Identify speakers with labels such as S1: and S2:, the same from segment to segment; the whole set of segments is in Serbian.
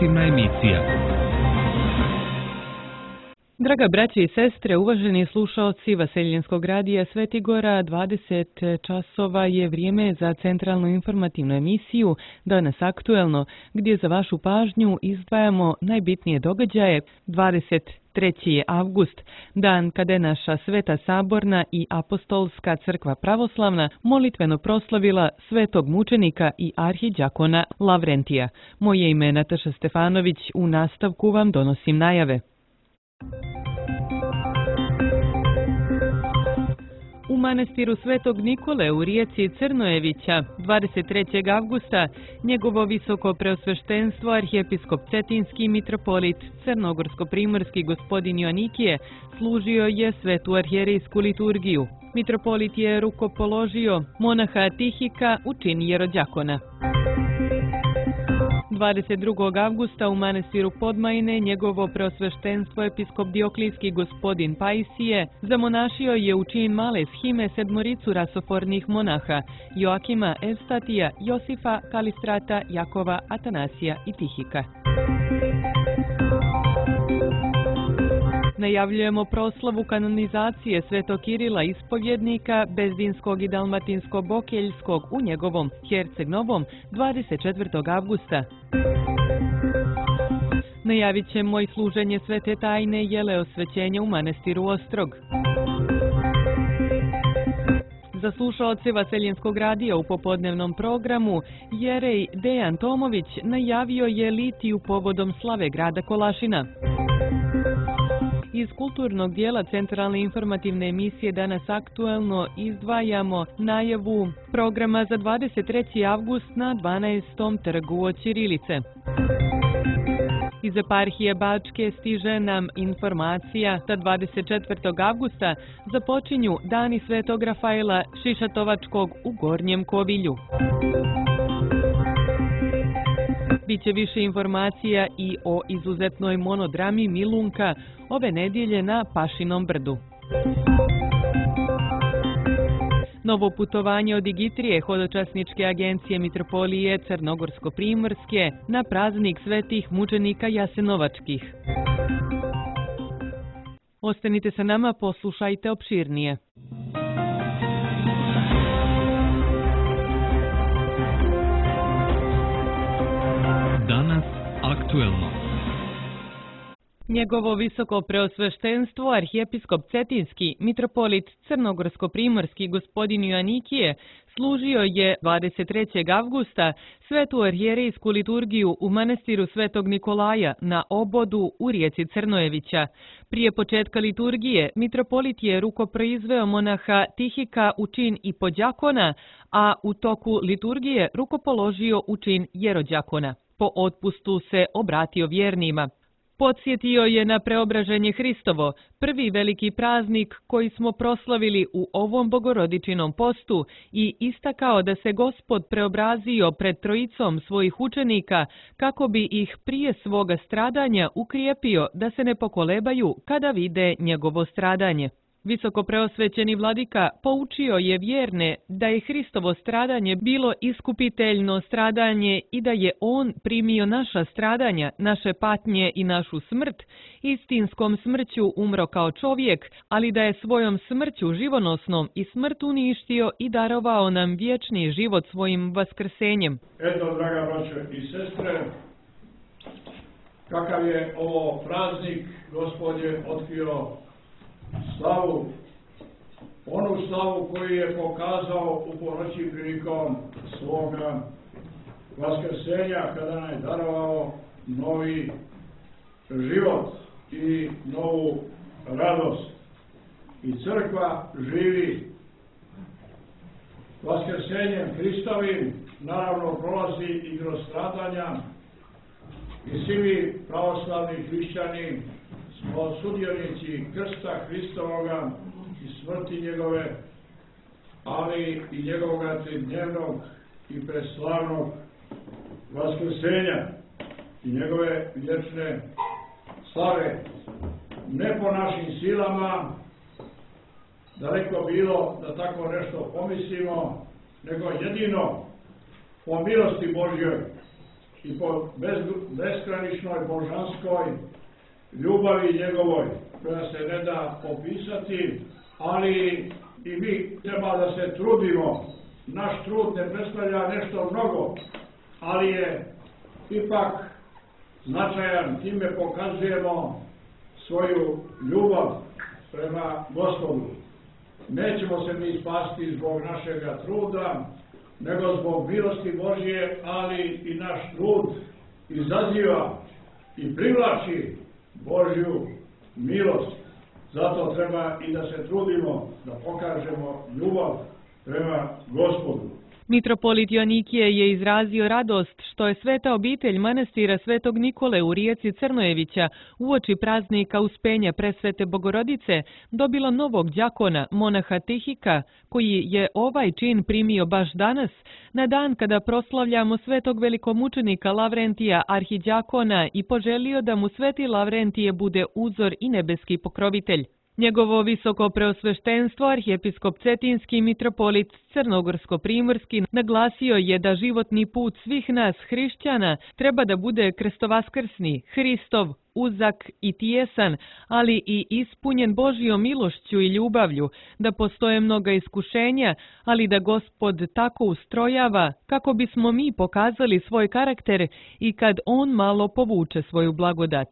S1: informativna emisija.
S2: Draga braće i sestre, uvaženi slušaoci Vaseljenskog radija Sveti Gora, 20 časova je vrijeme za centralnu informativnu emisiju Danas aktuelno, gdje za vašu pažnju izdvajamo najbitnije događaje. 23. je avgust, dan kada je naša Sveta Saborna i Apostolska crkva pravoslavna molitveno proslavila svetog mučenika i arhidjakona Lavrentija. Moje ime je Nataša Stefanović, u nastavku vam donosim najave. U manastiru Svetog Nikole u rijeci Crnojevića 23. avgusta njegovo visoko preosveštenstvo arhijepiskop Cetinski mitropolit Crnogorsko-primorski gospodin Joanikije služio je svetu arhijerejsku liturgiju. Mitropolit je rukopoložio monaha Tihika u čin jerodjakona. 22. avgusta u manastiru Podmajine njegovo preosveštenstvo episkop Dioklijski gospodin Pajsije zamonašio je u čin male shime sedmoricu rasofornih monaha Joakima, Evstatija, Josifa, Kalistrata, Jakova, Atanasija i Tihika. Najavljujemo proslavu kanonizacije Svetog Kirila ispovjednika Bezdinskog i Dalmatinsko-Bokeljskog u njegovom Herceg-Novom 24. avgusta. Najavit ćemo i služenje Svete tajne jeleosvećenja u manastiru Ostrog. Za slušaoce Vaseljenskog radija u popodnevnom programu jerej Dejan Tomović najavio je litiju povodom slave grada Kolašina. Iz kulturnog dijela centralne informativne emisije Danas aktuelno izdvajamo najavu programa za 23. avgust na 12. trgu od Ćirilice. Iz eparhije Bačke stiže nam informacija da 24. avgusta započinju Dani Svetog Rafaela Šišatovačkog u Gornjem Kovilju. Biće više informacija i o izuzetnoj monodrami Milunka ove nedjelje na Pašinom brdu. Novo putovanje od Igitrije hodočasničke agencije Mitropolije Crnogorsko-primorske na praznik svetih mučenika Jasenovačkih. Ostanite sa nama, poslušajte opširnije.
S1: Danas aktuelno.
S2: Njegovo visoko preosveštenstvo arhijepiskop Cetinski mitropolit Crnogorsko-primorski gospodin Joanikije služio je 23. avgusta svetu arhijerejsku liturgiju u manastiru Svetog Nikolaja na obodu u rijeci Crnojevića. Prije početka liturgije mitropolit je rukoproizveo monaha Tihika u čin i podjakona, a u toku liturgije rukopoložio u čin jerodjakona. Po otpustu se obratio vjernima. Podsjetio je na preobraženje Hristovo, prvi veliki praznik koji smo proslavili u ovom bogorodičinom postu, i istakao da se Gospod preobrazio pred trojicom svojih učenika kako bi ih prije svoga stradanja ukrijepio da se ne pokolebaju kada vide njegovo stradanje. Visoko preosvećeni vladika poučio je vjerne da je Hristovo stradanje bilo iskupiteljno stradanje i da je on primio naša stradanja, naše patnje i našu smrt, istinskom smrću umro kao čovjek, ali da je svojom smrću živonosnom i smrt uništio i darovao nam vječni život svojim vaskrsenjem.
S3: Eto, draga braćo i sestre, kakav je ovo praznik, Gospod je otkrio slavu, onu slavu koju je pokazao u ponoći prilikom svoga vaskrsenja, kada nam je darovao novi život i novu radost. I crkva živi vaskrsenjem Hristovim, naravno prolazi i kroz stradanja, i svi mi pravoslavni hrišćani smo sudionici krsta Hristovoga i smrti njegove, ali i njegovoga tridnevnog i preslavnog vaskrsenja i njegove vječne slave. Ne po našim silama, daleko bilo da tako nešto pomislimo, nego jedino po milosti Božjoj, i po beskraničnoj božanskoj ljubavi njegovoj, koja se ne da opisati, ali i mi treba da se trudimo. Naš trud ne predstavlja nešto mnogo, ali je ipak značajan, time pokazujemo svoju ljubav prema Gospodu. Nećemo se mi spasti zbog našega truda, nego zbog milosti Božje, ali i naš trud izaziva i privlači Božju milost. Zato treba i da se trudimo da pokažemo ljubav prema Gospodu.
S2: Mitropolit Joanikije je izrazio radost što je sveta obitelj manastira Svetog Nikole u rijeci Crnojevića uoči praznika Uspenja Presvete Bogorodice dobilo novog đakona, monaha Tihika, koji je ovaj čin primio baš danas, na dan kada proslavljamo svetog velikomučenika Lavrentija arhiđakona i poželio da mu sveti Lavrentije bude uzor i nebeski pokrovitelj. Njegovo visoko preosveštenstvo, arhijepiskop Cetinski mitropolit Crnogorsko-primorski, naglasio je da životni put svih nas hrišćana treba da bude krstovaskrsni, Hristov, uzak i tijesan, ali i ispunjen Božjom milošću i ljubavlju, da postoje mnoga iskušenja, ali da Gospod tako ustrojava kako bismo mi pokazali svoj karakter i kad On malo povuče svoju blagodat.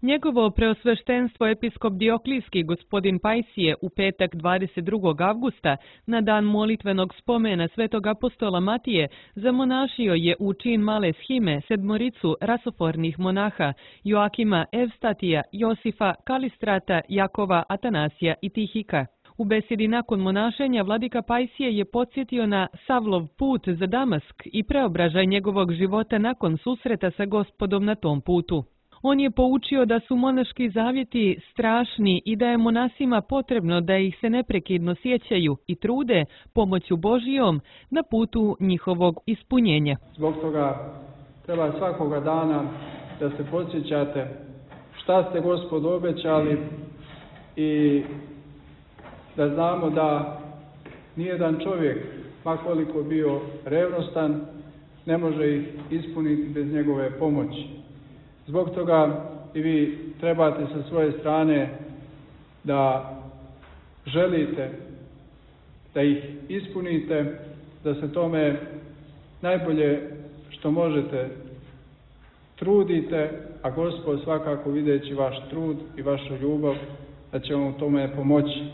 S2: Njegovo preosveštenstvo episkop Dioklijski gospodin Pajsije u petak 22. avgusta, na dan molitvenog spomena svetog apostola Matije, zamonašio je u čin male shime sedmoricu rasofornih monaha Joakima, Evstatija, Josifa, Kalistrata, Jakova, Atanasija i Tihika. U besedi nakon monašenja vladika Pajsije je podsjetio na Savlov put za Damask i preobražaj njegovog života nakon susreta sa Gospodom na tom putu. On je poučio da su monaški zavjeti strašni i da je monasima potrebno da ih se neprekidno sjećaju i trude pomoću Božijom na putu njihovog ispunjenja.
S4: Zbog toga treba svakoga dana da se podsjećate šta ste Gospodu obećali i da znamo da nijedan čovjek, ma koliko bio revnostan, ne može ih ispuniti bez njegove pomoći. Zbog toga i vi trebate sa svoje strane da želite da ih ispunite, da se tome najbolje što možete trudite, a Gospod svakako videći vaš trud i vašu ljubav da će vam u tome pomoći.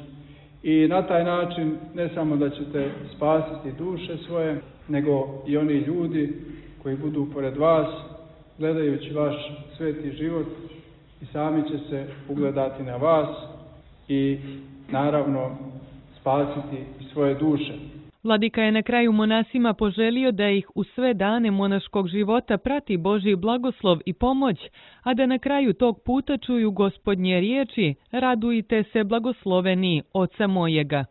S4: I na taj način ne samo da ćete spasiti duše svoje, nego i oni ljudi koji budu pored vas, gledajući vaš sveti život, i sami će se ugledati na vas i naravno spasiti svoje duše.
S2: Vladika je na kraju monasima poželio da ih u sve dane monaškog života prati Božji blagoslov i pomoć, a da na kraju tog puta čuju Gospodnje riječi: radujte se blagosloveni Oca mojega.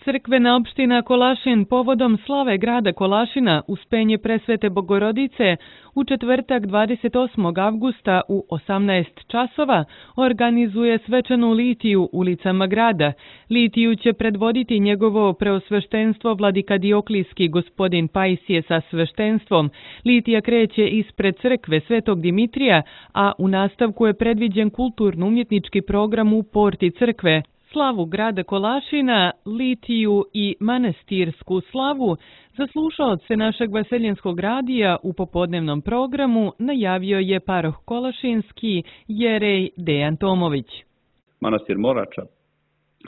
S2: Crkvena opština Kolašin povodom slave grada Kolašina Uspenje Presvete Bogorodice u četvrtak 28. avgusta u 18 časova organizuje svečanu litiju ulicama grada. Litiju će predvoditi njegovo preosveštenstvo vladika Dioklijski gospodin Pajsije sa sveštenstvom. Litija kreće ispred crkve Svetog Dimitrija, a u nastavku je predviđen kulturno-umjetnički program u porti crkve. Slavu grada Kolašina, litiju i manastirsku slavu za slušaoce našeg vaseljenskog radija u popodnevnom programu najavio je paroh Kolašinski Jerej Dejan Tomović.
S5: Manastir Morača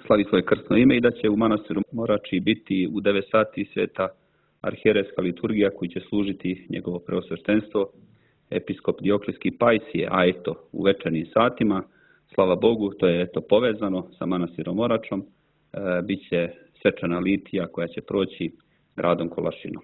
S5: slavi svoje krstno ime i da će u manastiru Morači biti u 9 sati sveta arhijerejska liturgija koju će služiti njegovo preosveštenstvo episkop Dioklijski Pajsije, a eto u večernjim satima, slava Bogu, to je povezano sa manastirom Moračom, biće svečana litija koja će proći gradom Kolašinom.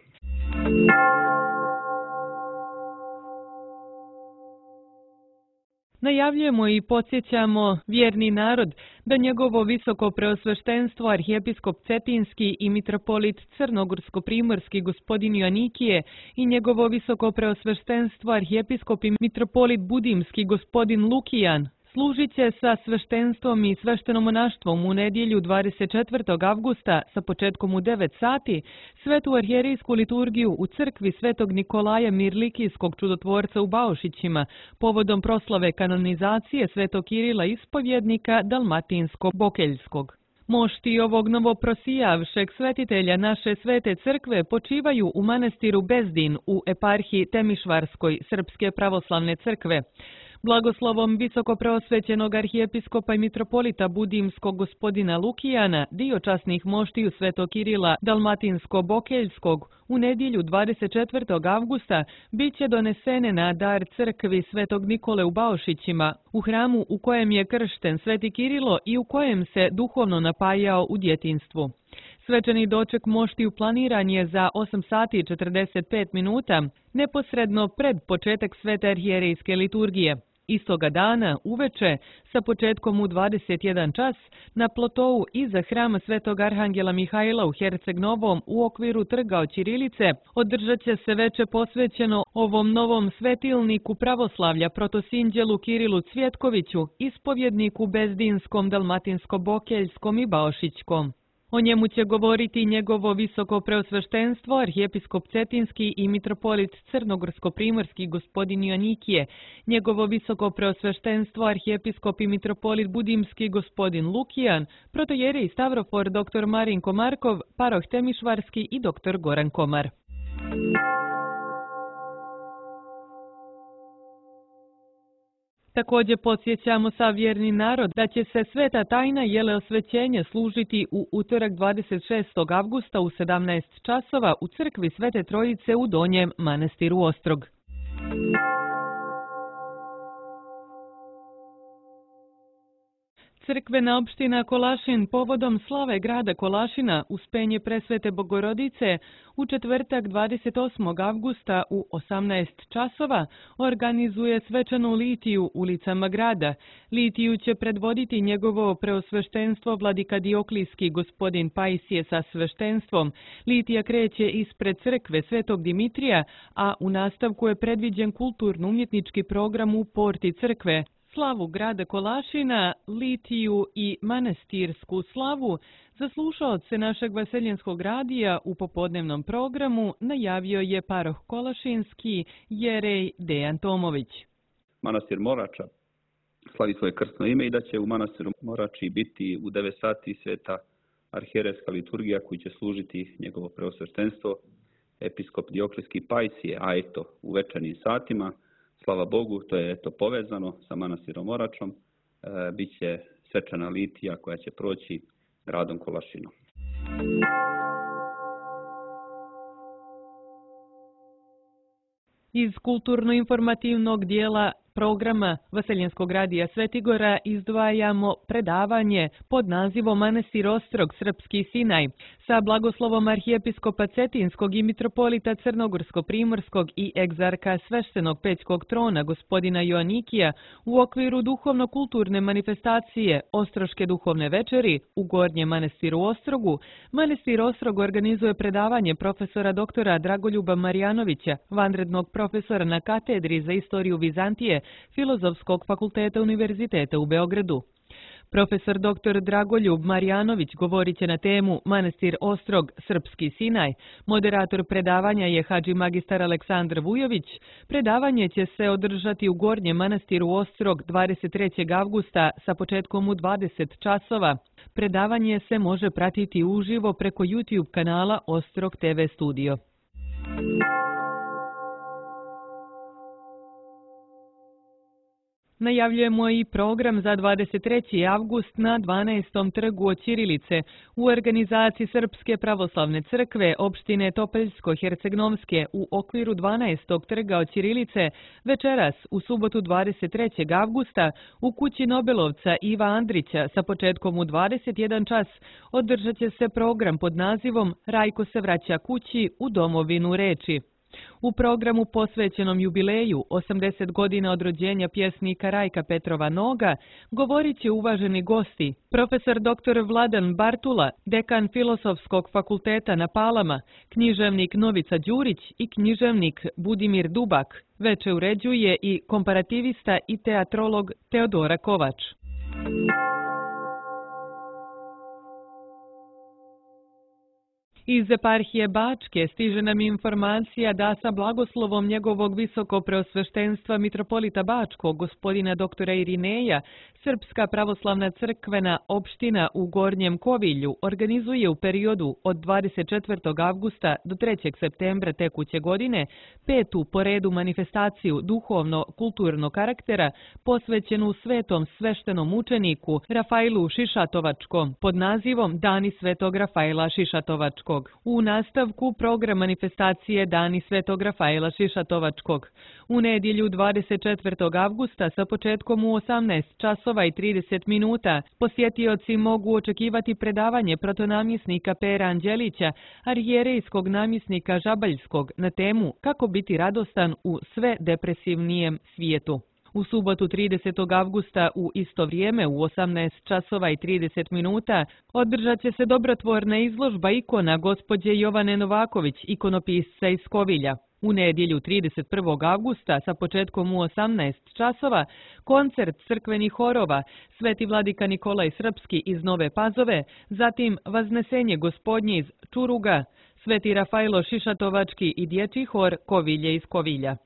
S2: Najavljujemo i podsjećamo vjerni narod da njegovo visoko preosveštenstvo arhijepiskop Cetinski i mitropolit Crnogorsko-primorski gospodin Joanikije i njegovo visoko preosveštenstvo arhijepiskop i mitropolit Budimski gospodin Lukijan Služit će sa sveštenstvom i sveštenomonaštvom u nedjelju 24. avgusta sa početkom u 9 sati svetu arhijerijsku liturgiju u crkvi Svetog Nikolaja Mirlikijskog čudotvorca u Baušićima povodom proslave kanonizacije Svetog Kirila ispovjednika Dalmatinsko-Bokeljskog. Mošti ovog novoprosijavšeg svetitelja naše svete crkve počivaju u manastiru Bezdin u eparhiji Temišvarskoj Srpske pravoslavne crkve. Blagoslovom visokopreosvećenog arhijepiskopa i mitropolita Budimskog gospodina Lukijana, dio časnih moštiju Svetog Kirila Dalmatinsko-Bokeljskog, u nedjelju 24. avgusta bit će donesene na dar crkvi Svetog Nikole u Baušićima, u hramu u kojem je kršten Sveti Kirilo i u kojem se duhovno napajao u djetinjstvu. Svečani doček moštiju planiran je za 8 sati i 45 minuta, neposredno pred početak svete arhijerejske liturgije. Istoga dana, uveče, sa početkom u 21 čas, na plotou iza hrama Svetog Arhangela Mihajla u Herceg Novom u okviru trga od Ćirilice održat će se veče posvećeno ovom novom svetilniku pravoslavlja protosinđelu Kirilu Cvjetkoviću, ispovjedniku Bezdinskom, Dalmatinsko-Bokeljskom i Baušićkom. O njemu će govoriti njegovo visoko preosveštenstvo, arhijepiskop Cetinski i mitropolit Crnogorsko-Primorski gospodin Joanikije, njegovo visoko preosveštenstvo, arhijepiskop i mitropolit Budimski gospodin Lukijan, protojerej Stavrofor dr. Marinko Markov, paroh Temišvarski i dr. Goran Komar. Također podsjećamo sav vjerni narod da će se sveta tajna jeleosvećenja služiti u utorak 26. avgusta u 17 časova u crkvi Svete Trojice u Donjem manastiru Ostrog. Crkvena opština Kolašin povodom slave grada Kolašina Uspenje Presvete Bogorodice u četvrtak 28. avgusta u 18 časova organizuje svečanu litiju ulicama grada. Litiju će predvoditi njegovo preosveštenstvo vladika Dioklijski gospodin Pajsije sa sveštenstvom. Litija kreće ispred crkve Svetog Dimitrija, a u nastavku je predviđen kulturno-umjetnički program u porti crkve. Slavu grada Kolašina, litiju i manastirsku slavu za slušaoce našeg Vaseljenskog radija u popodnevnom programu najavio je paroh Kolašinski jerej Dejan Tomović.
S5: Manastir Morača slavi svoje krstno ime i da će u manastiru Morači biti u 9 sati sveta arhijerejska liturgija koju će služiti njegovo preosveštenstvo episkop Dioklijski Pajsije, a eto u večernjim satima. Slava Bogu, to je povezano sa manastirom Moračom, biće svečana litija koja će proći gradom Kolašinom.
S2: Iz kulturno-informativnog dijela programa Vaseljenskog radija Svetigora izdvajamo predavanje pod nazivom Manastir Ostrog, Srpski Sinaj sa blagoslovom arhijepiskopa Cetinskog i mitropolita Crnogorsko-Primorskog i egzarka sveštenog pećkog trona gospodina Joanikija u okviru duhovno-kulturne manifestacije Ostroške duhovne večeri u Gornjem manastiru Ostrogu. Manastir Ostrog organizuje predavanje profesora doktora Dragoljuba Marijanovića, vanrednog profesora na katedri za istoriju Vizantije Filozofskog fakulteta Univerziteta u Beogradu. Profesor dr. Dragoljub Marijanović govorit će na temu Manastir Ostrog, Srpski Sinaj. Moderator predavanja je hadži magistar Aleksandar Vujović. Predavanje će se održati u Gornjem manastiru Ostrog 23. avgusta sa početkom u 20 časova. Predavanje se može pratiti uživo preko YouTube kanala Ostrog TV Studio. Najavljujemo i program za 23. avgust na 12. trgu od Ćirilice u organizaciji Srpske pravoslavne crkve opštine Topeljsko-Hercegnovske u okviru 12. trga od Ćirilice večeras u subotu 23. avgusta u kući Nobelovca Iva Andrića sa početkom u 21 čas održat će se program pod nazivom Rajko se vraća kući u domovinu reči. U programu posvećenom jubileju 80 godina od rođenja pjesnika Rajka Petrova Noga govorit će uvaženi gosti, profesor dr. Vladan Bartula, dekan Filozofskog fakulteta na Palama, književnik Novica Đurić i književnik Budimir Dubak. Veče uređuje i komparativista i teatrolog Teodora Kovač. Iz eparhije Bačke stiže nam informacija da sa blagoslovom njegovog visokopreosveštenstva mitropolita Bačkog, gospodina doktora Irineja, Srpska pravoslavna crkvena opština u Gornjem Kovilju organizuje u periodu od 24. avgusta do 3. septembra tekuće godine 5. po redu manifestaciju duhovno-kulturnog karaktera posvećenu svetom sveštenom učeniku Rafailu Šišatovačkom pod nazivom Dani svetog Rafaila Šišatovačkog. U nastavku program manifestacije Dani svetog Rafaila Šišatovačkog. U nedjelju 24. avgusta sa početkom u 18 časova i 30 minuta posjetioci mogu očekivati predavanje protonamjesnika Pera Anđelića, arhijerejskog namjesnika Žabaljskog na temu Kako biti radostan u sve depresivnijem svijetu. U subotu 30. avgusta u isto vrijeme u 18 časova i 30 minuta održat će se dobrotvorna izložba ikona gospođe Jovane Novaković, ikonopisca iz Kovilja. U nedjelju 31. avgusta sa početkom u 18 časova koncert crkvenih horova Sveti vladika Nikolaj Srpski iz Nove Pazove, zatim Vaznesenje gospodnje iz Čuruga, Sveti Rafailo Šišatovački i dječji hor Kovilje iz Kovilja.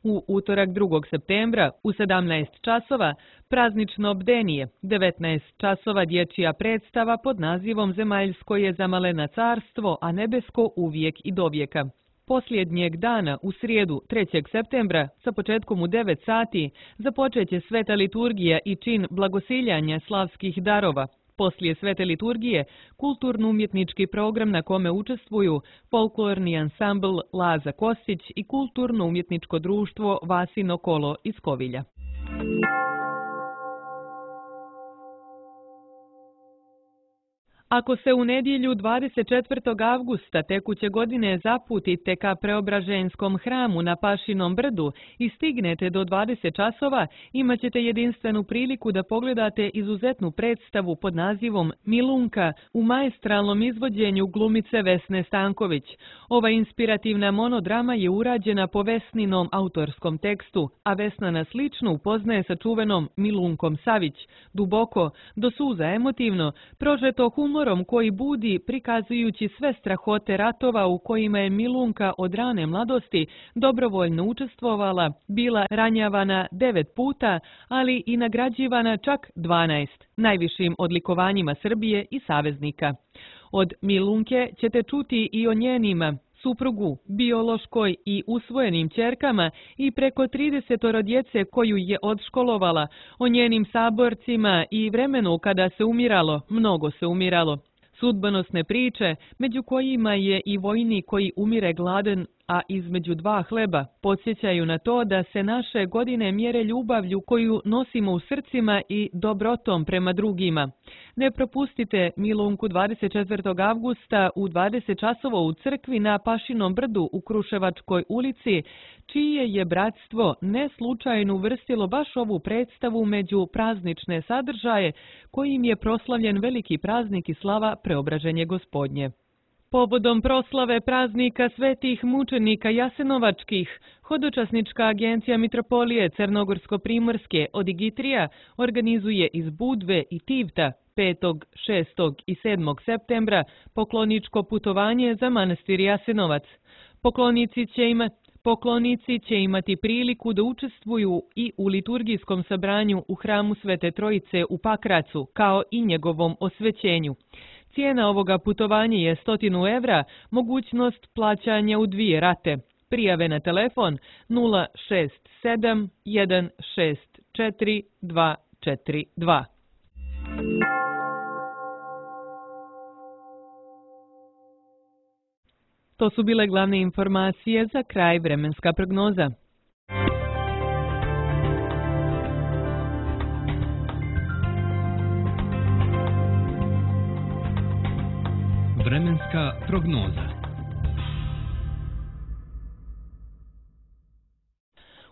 S2: U utorak 2. septembra u 17 časova praznično bdenije, 19 časova dječja predstava pod nazivom Zemaljsko je zamalena carstvo, a nebesko uvijek i dovijeka. Posljednjeg dana, u srijedu 3. septembra, sa početkom u 9 sati, započeće sveta liturgija i čin blagosiljanja slavskih darova. Poslije svete liturgije, kulturno-umjetnički program na kome učestvuju folklorni ansambl Laza Kostić i kulturno-umjetničko društvo Vasino kolo iz Kovilja. Ako se u nedjelju 24. avgusta tekuće godine zaputite ka Preobraženjskom hramu na Pašinom brdu i stignete do 20 časova, imat ćete jedinstvenu priliku da pogledate izuzetnu predstavu pod nazivom Milunka u maestralnom izvođenju glumice Vesne Stanković. Ova inspirativna monodrama je urađena po Vesninom autorskom tekstu, a Vesna nas lično upoznaje sa čuvenom Milunkom Savić, duboko, do suza emotivno, prožeto humorom koji budi prikazujući sve strahote ratova u kojima je Milunka od rane mladosti dobrovoljno učestvovala, bila ranjavana 9 puta, ali i nagrađivana čak 12, najvišim odlikovanjima Srbije i saveznika. Od Milunke ćete čuti i o njenima suprugu, biološkoj i usvojenim ćerkama i preko 30 djece koju je odškolovala, o njenim saborcima i vremenu kada se umiralo, mnogo se umiralo. Sudbonosne priče, među kojima je i vojnik koji umire gladan, a između 2 hleba, podsjećaju na to da se naše godine mjere ljubavlju koju nosimo u srcima i dobrotom prema drugima. Ne propustite Milunku 24. avgusta u 20 časova u crkvi na Pašinom brdu u Kruševačkoj ulici, čije je bratstvo ne slučajno uvrstilo baš ovu predstavu među praznične sadržaje kojim je proslavljen veliki praznik i slava Preobraženje gospodnje. Povodom proslave praznika svetih mučenika Jasenovačkih, Hodočasnička agencija Mitropolije Crnogorsko-Primorske od Igitrija organizuje iz Budve i Tivta 5., 6. i 7. septembra pokloničko putovanje za manastir Jasenovac. Poklonici će imati priliku da učestvuju i u liturgijskom sabranju u hramu Svete Trojice u Pakracu, kao i njegovom osvećenju. Cijena ovoga putovanja je 100 evra, mogućnost plaćanja u 2 rate. Prijave na telefon 067 164 242. To su bile glavne informacije za kraj vremenska prognoza.
S1: Vremenska prognoza.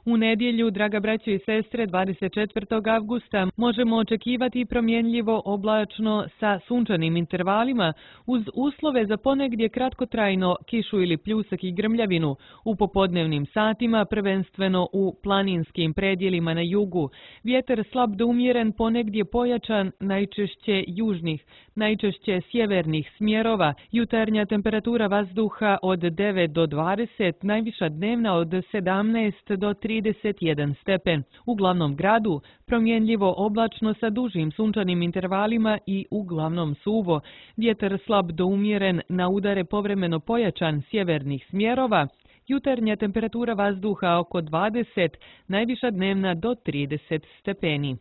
S2: U nedjelju, draga braćo i sestre, 24. avgusta možemo očekivati promjenljivo oblačno sa sunčanim intervalima uz uslove za ponegdje kratkotrajno kišu ili pljusak i grmljavinu u popodnevnim satima, prvenstveno u planinskim predjelima na jugu. Vjetar slab do umjeren, ponegdje pojačan, najčešće južnih, najčešće sjevernih smjerova. Jutarnja temperatura vazduha od 9 do 20, najviša dnevna od 17 do 31 stepen. U glavnom gradu promjenljivo oblačno sa dužim sunčanim intervalima i uglavnom suvo. Vjetar slab do umjeren, na udare povremeno pojačan sjevernih smjerova. Jutarnja temperatura vazduha oko 20, najviša dnevna do 30 stepeni.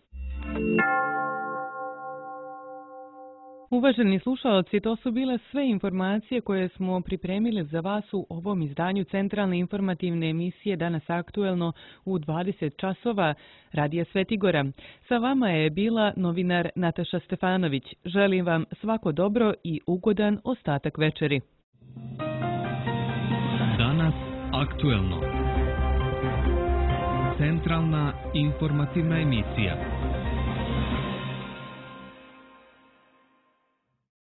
S2: Uvaženi slušalci, to su bile sve informacije koje smo pripremili za vas u ovom izdanju centralne informativne emisije Danas aktuelno u 20 časova Radija Svetigora. Sa vama je bila novinar Nataša Stefanović. Želim vam svako dobro i ugodan ostatak večeri.
S1: Danas aktuelno. Centralna informativna emisija.